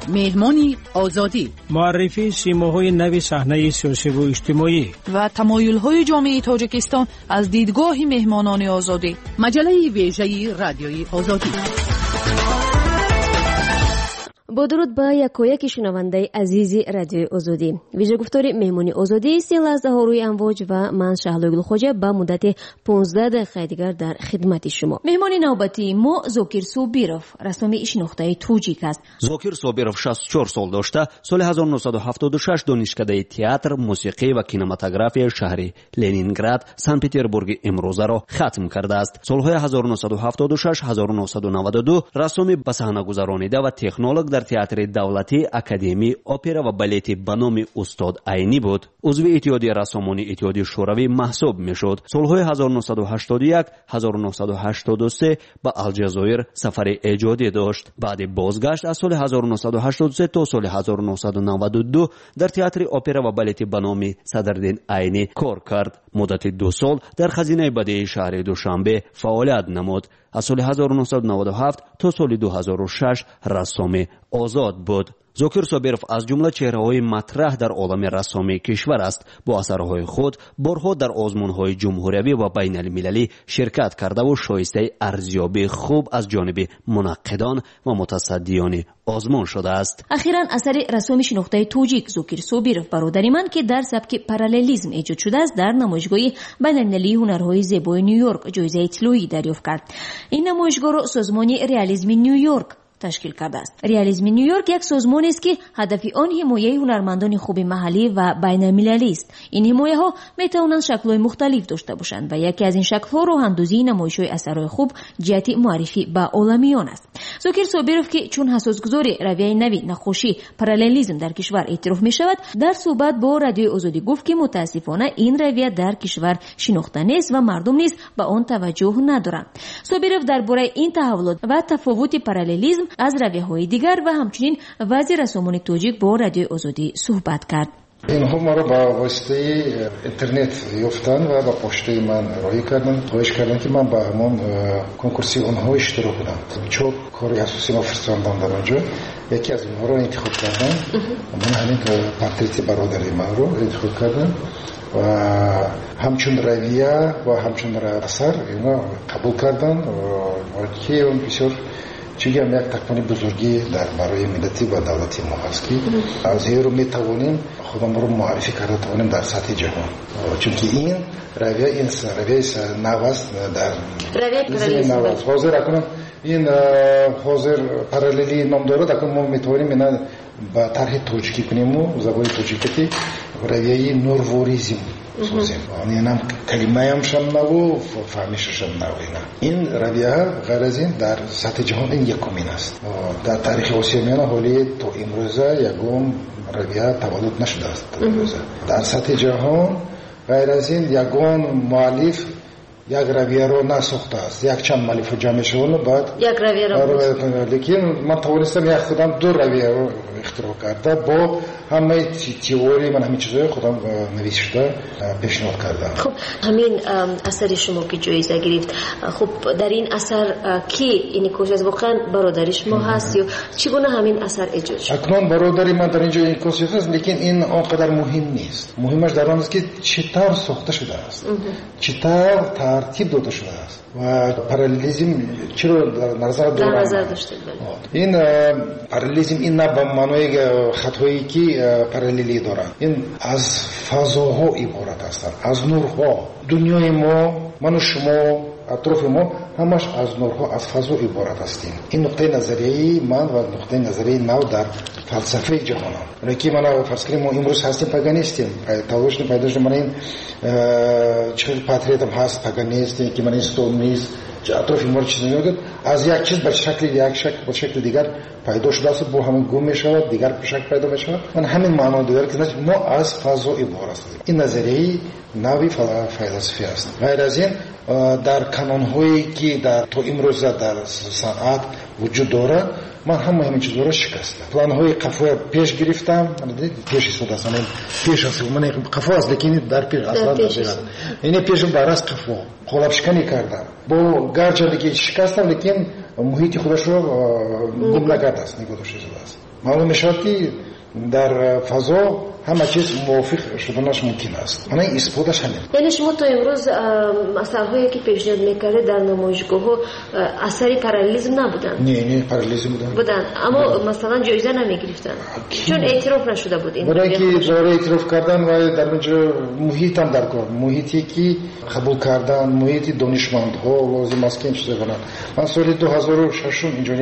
Меҳмони Озодӣ. Муаррифии симоҳои нави саҳнаи сиёсиву иҷтимоӣ ва тамоюлҳои ҷомеаи Тоҷикистон аз дидгоҳи меҳмонони Озодӣ. Маҷаллаи вежаи Радиои Озодӣ. Бо дуруд ба якояки шунавандаи азизи Радиои Озодӣ. Вижагуфтори меҳмони Озодӣ се лаҳзаҳо рӯи амвоҷ ва ман, Шаҳлои Гулхоҷа, ба муддати 15 дақиқаи дигар дар хидмати шумо. Меҳмони навбатии мо Зокир Собиров, рассоми шинохтаи тоҷик аст. Зокир Собиров 64 сол дошта, соли 1976 донишкадаи театр, мусиқӣ ва кинематографияи шаҳри Ленинград, Санкт Петербурги имрӯзаро хатм кардааст. Солҳои 1976-1992 рассоми ба саҳна гузаронида ва технолог дар театри давлатии академии опера ва балети ба номи устод Айнӣ буд. Узви Иттиҳоди рассомони Иттиҳоди Шӯравӣ маҳсуб мешуд. Солҳои 1981-1983 ба Алҷазоир сафари эҷодӣ дошт. Баъди бозгашт аз соли 1983 то соли 1992 дар театри опера ва балети ба номи Садриддин Айнӣ кор кард. Муддати 2 сол дар хазинаи бадеии шаҳри Душанбе фаъолият намуд. Аз соли 1997 то соли 2006 рассоми озод буд. Зокир Собиров аз ҷумла чеҳраҳои матраҳ дар олами рассомии кишвар аст. Бо асарҳои худ борҳо дар озмунҳои ҷумҳуриявӣ ва байналмилалӣ ширкат кардаву шоистаи арзёбии хуб аз ҷониби мунаққидон ва мутасаддиёни озмун шудааст. Ахиран асари рассоми шинохтаи тоҷик Зокир Собиров «Бародари ман», ки дар сабки параллелизм эҷод шудааст, дар намоишгоҳи байналмилалии ҳунарҳои зебои Ню-Йорк ҷоизаи тиллоӣ дарёфт кард. Ин намоишгоҳро созмони Реализми Ню-Йорк ташкил кардааст. Реализми Ню-Йорк як созмонест, ки ҳадафи он ҳимояи ҳунармандони хуби маҳаллӣ ва байналмилалист. Ин ҳимояҳо метавонанд шаклҳои мухталиф дошта бошанд ва яке аз ин шаклҳо роҳандозии намоишҳои асарҳои хуб ҷиҳати муаррифӣ ба оламиён аст. Зокир Собиров, ки чун ҳассосгузори равияи нави наққошӣ параллелизм дар кишвар эътироф мешавад, дар суҳбат бо Радиои Озодӣ гуфт, ки мутаассифона ин равия дар кишвар шинохта нест ва мардум низ ба он таваҷҷӯҳ надоранд. Собиров дар бораи ин таҳаввулот ва тафовути параллелизм аз равияҳои дигар ва ҳамчунин вазъи рассомони тоҷик бо Радиои Озодӣ суҳбат кард. Инҳо маро ба воситаи интернет ёфтанд ва ба почтаи ман роҳӣ карданд, хоҳиш карданд, ки ман ба ҳамон конкурси онҳо иштирок кунам. Чор кори асосӣ ма фиристодам дар он ҷо. Яке аз онҳоро интихоб кардам. Ман ҳамин портрети бародари манро интихоб кардам ва ҳамчун равия ва ҳамчун асар ино қабул карданд, ки он бисёр чунки ҳам як тақвони бузургӣ дар барои миллати ва давлати мо ҳаст, ки аз ин рӯ метавонем худамонро муаррифӣ карда тавонем дар сатҳи ҷаҳон, чунки ин равия, ин равияи нав аст дар нав аст. Ҳозир акнун ин ҳозир параллелӣ ном дорад. Акнун мо метавонем ина ба тарҳи тоҷикӣ куниму забони тоҷикӣ, ки равияи нурворизм созем. Инам калимаямшам наву фаҳмишашам нав. Ина ин равия ғайр аз ин дар сатҳи ҷаҳон ин якумин аст. Дар таърихи Осиёи Миёна ҳоли то имрӯза ягон равия таваллуд нашудааст. Дар сатҳи ҷаҳон ғайр аз ин ягон муаллиф як равияро насохтааст. Якчанд муаллифҳо ҷамъ мешаванд, баъд як равияро. Лекин ман тавонистам як худам ду равияро ихтироъ карда, бо ҳамаи теорияи ман, ҳамин чизҳои худам нависшуда пешниҳод кардам. Хуб, ҳамин асари шумо, ки ҷоиза гирифт, хуб, дар ин асар ки инъикос аст? Воқеан бародари шумо ҳаст ё чӣ гуна ҳамин асар эҷод шуд? Акнун бародари ман дар ин ҷо инъикос ёфтааст, лекин ин он қадар муҳим нест. Муҳимаш дар он аст, ки чӣ тавр сохта шудааст, чӣ тавр тартиб дода шудааст ва параллелизм чиро дар назар дорам. Ин параллелизм ин на ба маънои хатҳое, ки параллелӣ доранд, ин аз фазоҳо иборат ҳастанд, аз нурҳо. Дунёи мо, ману шумо, атрофи мо ҳамаш аз нурҳо, аз фазо иборат ҳастем. Ин нуқтаи назарияи ман ва нуқтаи назарияи нав дар фалсафаи ҷаҳонам, ки мана фарз кунем, мо имрӯз ҳастем, пага нестем. Таваллуд шудем, пайдо шудем, мана ин чӣ портретам ҳаст, пага нестем, ки мана ин стол, миз, атрофи моро чиз мегӯяд, аз як чиз ба шакли як шакл ба шакли дигар пайдо шудааст, бо ҳамин гум мешавад, дигар шакл пайдо мешавад. Ман ҳамин маъно дорад, ки мо аз фазо иборат ҳастем. Ин назарияи нави философӣ аст. Ғайр аз ин дар канонҳое, ки дар то имрӯза дар санъат вуҷуд дорад, ман ҳама ҳамин чизҳоро шикастам. Планҳои қафоя пеш гирифтам, пеш истодааст, пеш аст, ман қафо аст, лекин дар пеш аслан дар ин пешам барас қафо қолабшиканӣ кардам. Бо гарчанде ки шикастам, лекин муҳити худашро гум накардааст, нигоҳ дошта шудааст. Маълум мешавад, ки дар фазо ҳама чиз мувофиқ шуданаш мумкин аст. Мана исботаш ҳамин. Яъне шумо то имрӯз асарҳое ки пешниҳод мекардед дар намоишгоҳҳо асари параллелизм набуданд? Не, параллелизм буданд. Буданд, аммо масалан ҷоиза намегирифтанд, чун эътироф нашуда буд ин. Барои ки барои эътироф кардан ва дар онҷо муҳитам дар кор, муҳите ки қабул кардан, муҳити донишмандҳо лозим аст ки ин чизо кунанд. Ман соли 2006 инҷо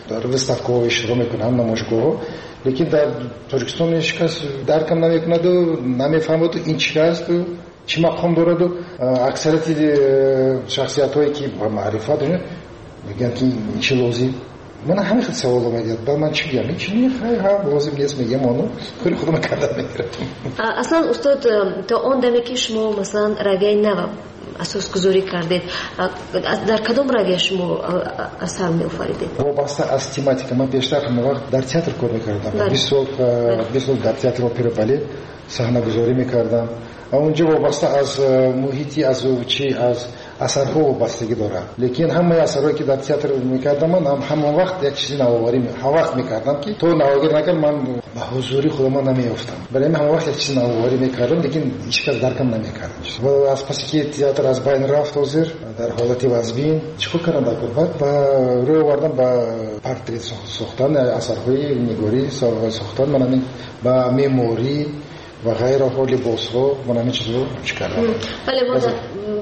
дар выставкаҳо иштирок мекунам, намоишгоҳҳо, лекин дар Тоҷикистон ҳеҷ кас даркам намекунаду намефаҳмаду ин чӣ асту чӣ мақом дораду. Аксарияти шахсиятҳое ки ба маърифат мегӯянд ки ин чӣ лозим. Мана ҳамин хел саволо медиҳад. Баъд ман чӣ гӯям? Ин чӣ не, хай ҳа лозим нест мегӯям, ону кори худама кардан мегирам. Аслан устод, то он даме ки шумо масалан равияи нава асосгузорӣ кардед, дар кадом равия шумо асар меофаридед? Вобаста аз тематика. Ман пештар ҳама вақт дар театр кор мекардам. 20 сол дар театр опера балет саҳнагузорӣ мекардам. Онҷо вобаста аз муҳити, аз чи, аз асарҳо вобастагӣ дорад. Лекин ҳамаи асарҳое ки дар театр мекардам, ман ҳамон вақт як чизи навоварӣ ҳама вақт мекардам, ки то навоварӣ накард ман ба ҳузури худамон намеёфтам. Барои ҳамин ҳама вақт як чизи навоварӣ мекардам, лекин ҳеҷ кас даркам намекард. Ва аз пасе ки театр аз байн рафт, ҳозир дар ҳолати вазбин чӣ кор кардам дар кор? Баъд ба рӯй овардам ба портрет сохтан, асарҳои нигорӣ сохтан, ман ҳамин ба меъморӣ ва ғайраҳо, либосҳо, ман ҳамин чизҳо чӣ кардам. Бале, мо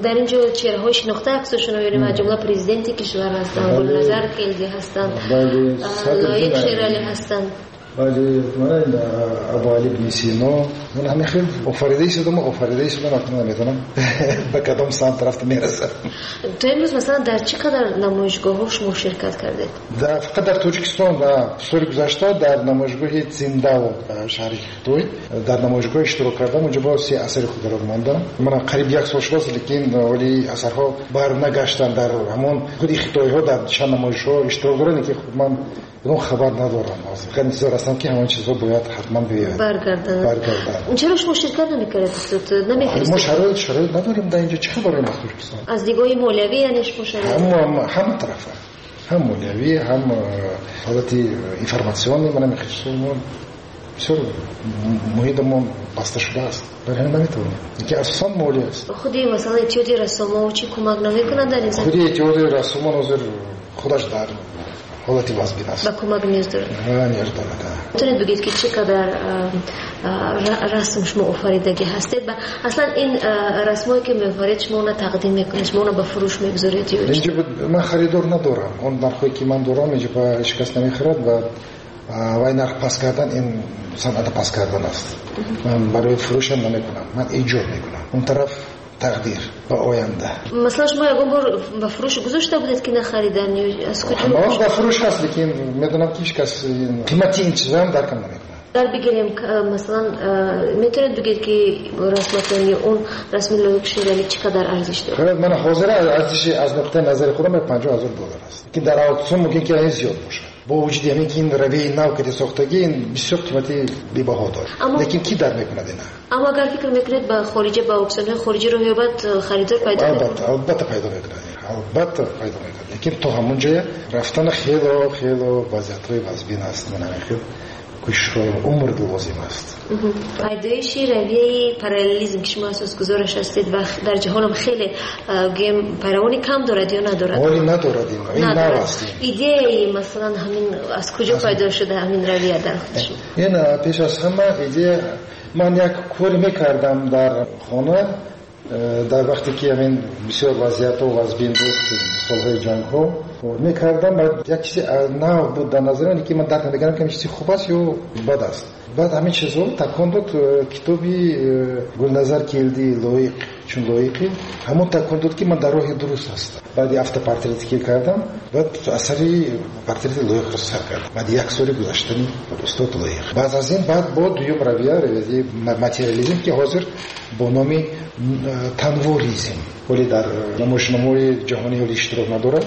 дар ин ҷо чеҳраҳои шинохта аксошонро мебинем, аз ҷумла президенти кишвар ҳастанд, Гулназар Келди ҳастанд, Лоиқ Шералӣ ҳастанд. Бале, мана ин Абуалӣ ибни Сино. Ман ҳамин хел офаридаи шудам, офаридаи шудам, акнун намедонам ба кадом самт рафта мерасам. То имрӯз масалан дар чӣ қадар намоишгоҳҳо шумо ширкат кардед? Фақат дар Тоҷикистон соли гузашта дар намоишгоҳи Циндао шаҳри Хитой дар намоишгоҳ иштирок кардам. Онҷо бо се асари худро мондам. Ман қариб як сол шудааст, лекин вале асарҳо барнагаштанд. Дар ҳамон худи хитойҳо дар чанд намоишҳо иштирок доранд, лекин ман ягон хабар надорам. Фақат интизор ҳастам ки ҳамон чизҳо бояд ҳатман биёяд. Баргарданд. Чаро шумо ширкат намекардед, устод? Намефиристед? Мо шароит надорем дар инҷо. Чӣ хабарем аз Тоҷикистон? Аз нигоҳи молиявӣ яъне шумо шароит? Ҳама тарафа, ҳам молиявӣ, ҳам ҳолати информатсионӣ. Ман ҳамин чизҳо мо бисёр муҳитамон баста шудааст, барои ҳамин наметавонем. Лекин асосан молия аст. Худи масалан иттиҳоди рассомон чӣ кӯмак намекунад дар ин замина? Худи иттиҳоди рассомон ҳозир худаш дар ҳолати вазбин аст. Ба кӯмак ниёз дорад. Ниёз дорад. Метавонед бигӯед ки чӣ қадар расм шумо офаридагӣ ҳастед ва аслан ин расмҳое ки меофаред шумо онро тақдим мекунед, шумо онро ба фурӯш мегузоред ё чӣ? Инҷо ман харидор надорам. Он нархҳое ки ман дорам инҷо ба ҳеҷ кас намехарад ва вай нарх паст кардан ин санъата паст кардан аст. Ман барои фурӯшам намекунам, ман эҷод мекунам. Он тараф тақдир ба оянда. Масалан шумо ягон бор ба фурӯш гузошта будед ки нахаридан ё аз куҷо? Ба фурӯш ҳаст, лекин медонам ки ҳеҷ кас қимати ин чизам даркам намекунад. Дар бигирем масалан метавонед бигӯед ки расматон ё он расми Лоиқ Шералӣ чӣ қадар арзиш дорад? Ман ҳозир арзиши аз нуқтаи назари худам $50,000 аст, лекин дар аукцион мумкин ки ин зиёд бошад. Бо вуҷуди ҳамин ки ин равияи нав ки сохтагӣ ин бисёр қимати бебаҳо дорад, лекин ки дар мекунад ина? Аммо агар фикр мекунед ба хориҷа, ба аукционҳои хориҷӣ роҳ ёбад, харидор пайдо мекунад? Албатта пайдо мекунад, албатта пайдо мекунад, лекин то ҳамон ҷоя рафтан хело хело вазъиятҳои вазбин аст. Ман ҳамин хел кӯшишҳо умр лозим аст. Пайдоиши равияи параллелизм ки шумо асосгузораш ҳастед ва дар ҷаҳонам хеле гӯем пайравони кам дорад ё надорад? Ҳоле надорад, ин нав аст. Идеяи масалан ҳамин аз куҷо пайдо шуда ҳамин равия дар худи шумо? Ин пеш аз ҳама идея ман як коре мекардам дар хона дар вақте ки ҳамин бисёр вазъиятҳо вазбин буд, солҳои ҷангҳо мекардам, як чизи нав буд дар назари ман, ки ман дарк намекардам ки ҳамин чизи хуб аст ё бад аст. Баъд ҳамин чизҳо такон дод китоби Гулназар Келди Лоиқ, чун лоиқӣ ҳамон такон дод ки ман дар роҳи дуруст ҳастам. Баъди автопортрети ки кардам, баъд асари портрети Лоиқро сар кардам. Баъди як соли гузаштани устод Лоиқ. Баъд аз ин баъд бо дуюм равия, равияи материализм, ки ҳозир бо номи танворизм, вале дар намоишномаҳои ҷаҳонӣ ҳоле иштирок надорад.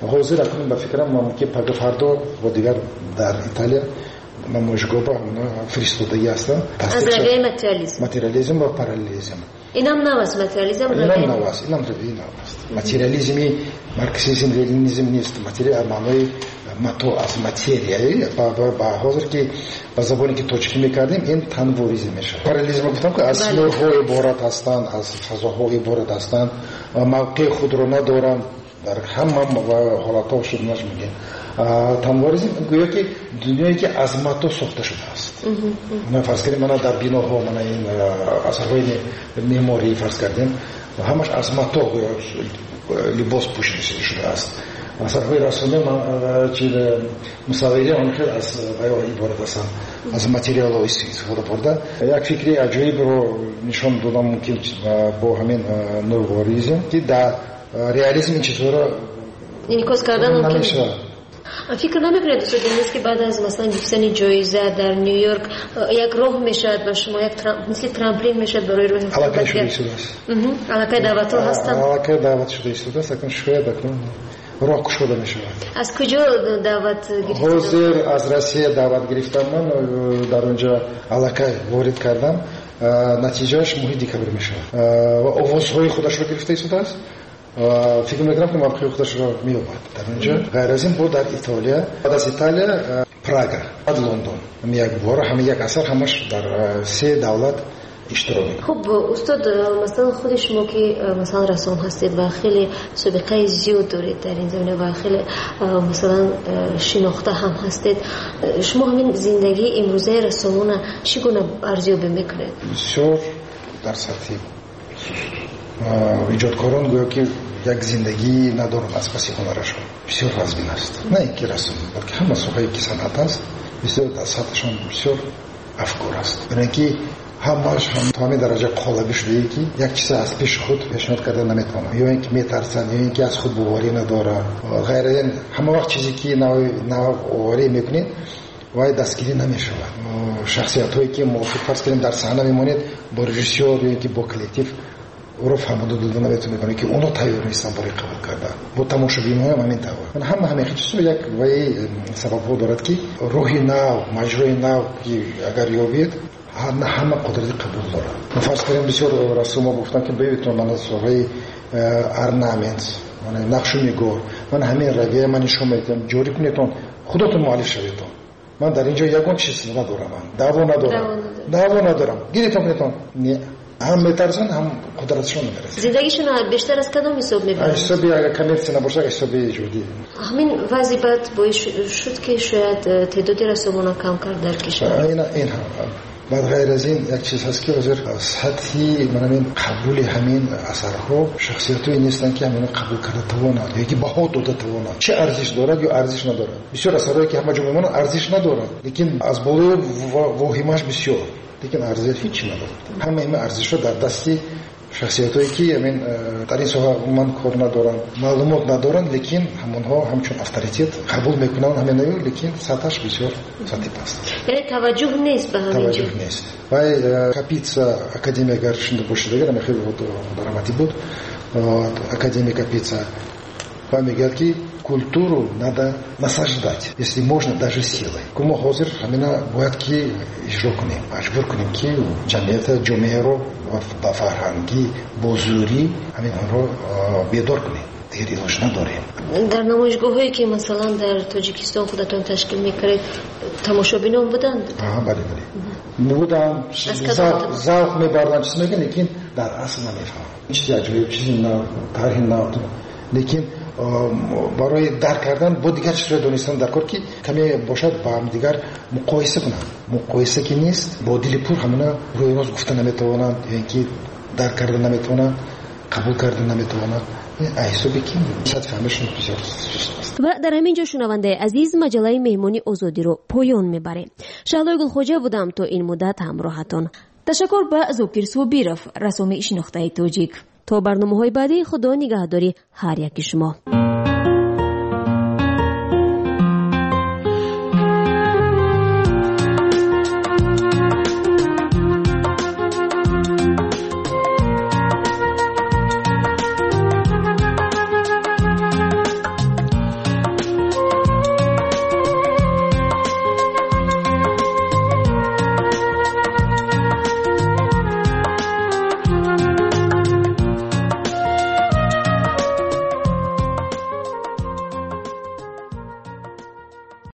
Ҳозир акнун ба фикрам мумкин пага фардо бо дигар дар Италия намоишгоҳ ба фиристодагӣ ҳастанд. Аз равияи материализм. Материализм ва параллелизм. Инам нав аст материализм? Инам нав аст, инам равияи нав аст. Материализми марксизм, ленинизм нест. Материал маънои матоъ аз материя. Ба ҳозир ки ба забоне ки тоҷикӣ мекардем, ин танворизм мешавад. Параллелизм гуфтам ки аз симоҳо иборат ҳастанд, аз фазоҳо иборат ҳастанд ва мавқеи худро надоранд, дар ҳама ҳолатҳо шуданаш мумкин. Танворизм гӯё ки дунёе ки аз матоъ сохта шудааст. Мана фарз кардем, мана дар биноҳо, мана ин асарҳои меъморӣ фарз кардем, ҳамаш аз матоъ гӯё либос пӯшида шудааст. Асарҳои расомӣ, мусаввирӣ он хел аз вайо иборат ҳастанд, аз материалҳо истифода бурда. Як фикри аҷоибро нишон додам мумкин бо ҳамин нуворизм, ки дар реализм ин чизҳоро инъикос кардан мумкин намешавад. Фикр намекунед, устод Денис, ки баъд аз масалан гирифтани ҷоиза дар Нью-Йорк як роҳ мешавад ба шумо, як мисли трамплин мешавад барои роҳи Аллакай шуда истодааст. Аллакай даъватҳо ҳастанд. Аллакай даъват шуда истодааст, акнун шояд акнун роҳ кушода мешавад. Аз куҷо даъват гирифтед? Ҳозир аз Россия даъват гирифтам ман, дар онҷо аллакай ворид кардам. Натиҷааш моҳи декабр мешавад. Ва овозҳои худашро гирифта истодааст. Фикр мекунам ки мавқеи худашро меёбад дар онҷо. Ғайр аз ин бо дар Итолиё, баъд аз Италия Прага, баъд Лондон. Ҳамин як бора, ҳамин як асар ҳамаш дар се давлат иштирок мекунад. Хуб, устод, масалан худи шумо ки масалан рассом ҳастед ва хеле собиқаи зиёд доред дар ин замина ва хеле масалан шинохта ҳам ҳастед, шумо ҳамин зиндагии имрӯзаи рассомона чӣ гуна арзёбӣ мекунед? Бисёр дар сатҳи эҷодкорон гӯё ки як зиндагӣ надоранд аз паси ҳунарашон. Бисёр вазмин аст. На ин ки расм, балки ҳама соҳае ки санъат аст, бисёр дар сатҳашон бисёр афкор аст. Барои ин ки ҳамааш то ҳамин дараҷа қолабӣ шудае ки як чизе аз пеши худ пешниҳод карда наметавонанд, ё ин ки метарсанд, ё ин ки аз худ боварӣ надоранд. Ғайр аз ин ҳама вақт чизе ки навоварӣ мекунед, вай дастгирӣ намешавад. Шахсиятҳое ки мувофиқ фарз кардем дар саҳна мемонед бо режиссёр ё ин ки бо коллектив, ӯро фаҳмода дода наметавонед, барои ки онҳо тайёр нестанд барои қабул кардан. Бо тамошобинҳоям ҳамин тавр. Ҳама ҳамин чизҳо як вай сабабҳо дорад ки роҳи нав, маҷрои нав ки агар ёбед, на ҳама қудрати қабул дорад. Фарз кардем бисёр рассомҳо гуфтанд ки бибинед, ман аз соҳаи орнамент, нақшу нигор, ман ҳамин равия ман нишон медиҳам, ҷорӣ кунедон, худотон муаллиф шаведон. Ман дар ин ҷо ягон чиз надорам, даъво надорам, даъво надорам. Гиритон кунедон. Не, ҳам метарсанд, ҳам қудратшон намерасад. Зиндагишон бештар аз кадом ҳисоб мебаранд? Ҳисоби агар коммерсия набошад, ҳисоби эҷодӣ. Ҳамин вазъи бад боис шуд ки шояд теъдоди рассомона кам кард дар кишвар. Ин ҳам. Баъд ғайр аз ин як чиз ҳаст ки ҳозир сатҳи ҳамин қабули ҳамин асарҳо шахсиятҳое нестанд ки ҳаминро қабул карда тавонанд ё ки баҳо дода тавонанд. Чӣ арзиш дорад ё арзиш надорад. Бисёр асарҳое ки ҳама ҷо мемонанд арзиш надоранд, лекин аз болои воҳимааш бисёр, лекин арзиш ҳеҷ надорад. Ҳама ин арзишҳо дар дасти шахсиятҳое ки ҳамин дар ин соҳа умуман кор надоранд, маълумот надоранд, лекин ҳамонҳо ҳамчун авторитет қабул мекунанд ҳаминаю, лекин сатҳаш бисёр сатҳи паст. Яъне таваҷҷӯҳ нест ба ҳамин таваҷҷӯҳ нест. Вай Капица академия агар шунда бошед, агар ҳамин хеле даромадӣ буд, академия Капица ва мегӯяд ки культуру надо насаждать, если можно, даже силой. Мо ҳозир ҳамина бояд ки иҷро кунем, маҷбур кунем ки ҷамъията, ҷомеаро ба фарҳангӣ, бо зӯрӣ ҳамин онро бедор кунем. Дигар илоҷ надорем. Дар намоишгоҳҳое ки масалан дар Тоҷикистон худатон ташкил мекардед, тамошобинон буданд? Бале, бале. Буданд, завқ мебарданд, чиз мегӯянд, лекин дар асл намефаҳманд. Чизи аҷоиб, чизи нав, тарҳи нав. Лекин барои дарк кардан бо дигар чизҳои донистан дар кор ки каме бошад ба ҳамдигар муқоиса кунанд. Муқоиса ки нест, бо дили пур ҳамона рӯи рост гуфта наметавонанд, ё ин ки дарк карда наметавонанд, қабул карда наметавонанд. Ҳисоби ки сатҳи фаҳмишон бисёр суст аст. Ва дар ҳамин ҷо шунавандаи азиз маҷаллаи меҳмони озодиро поён мебарем. Шаҳлои Гулхоҷа будам то ин муддат ҳамроҳатон. Ташаккур ба Зокир Собиров, рассоми шинохтаи тоҷик. То барномаҳои баъдӣ Худо нигаҳдори ҳар яки шумо.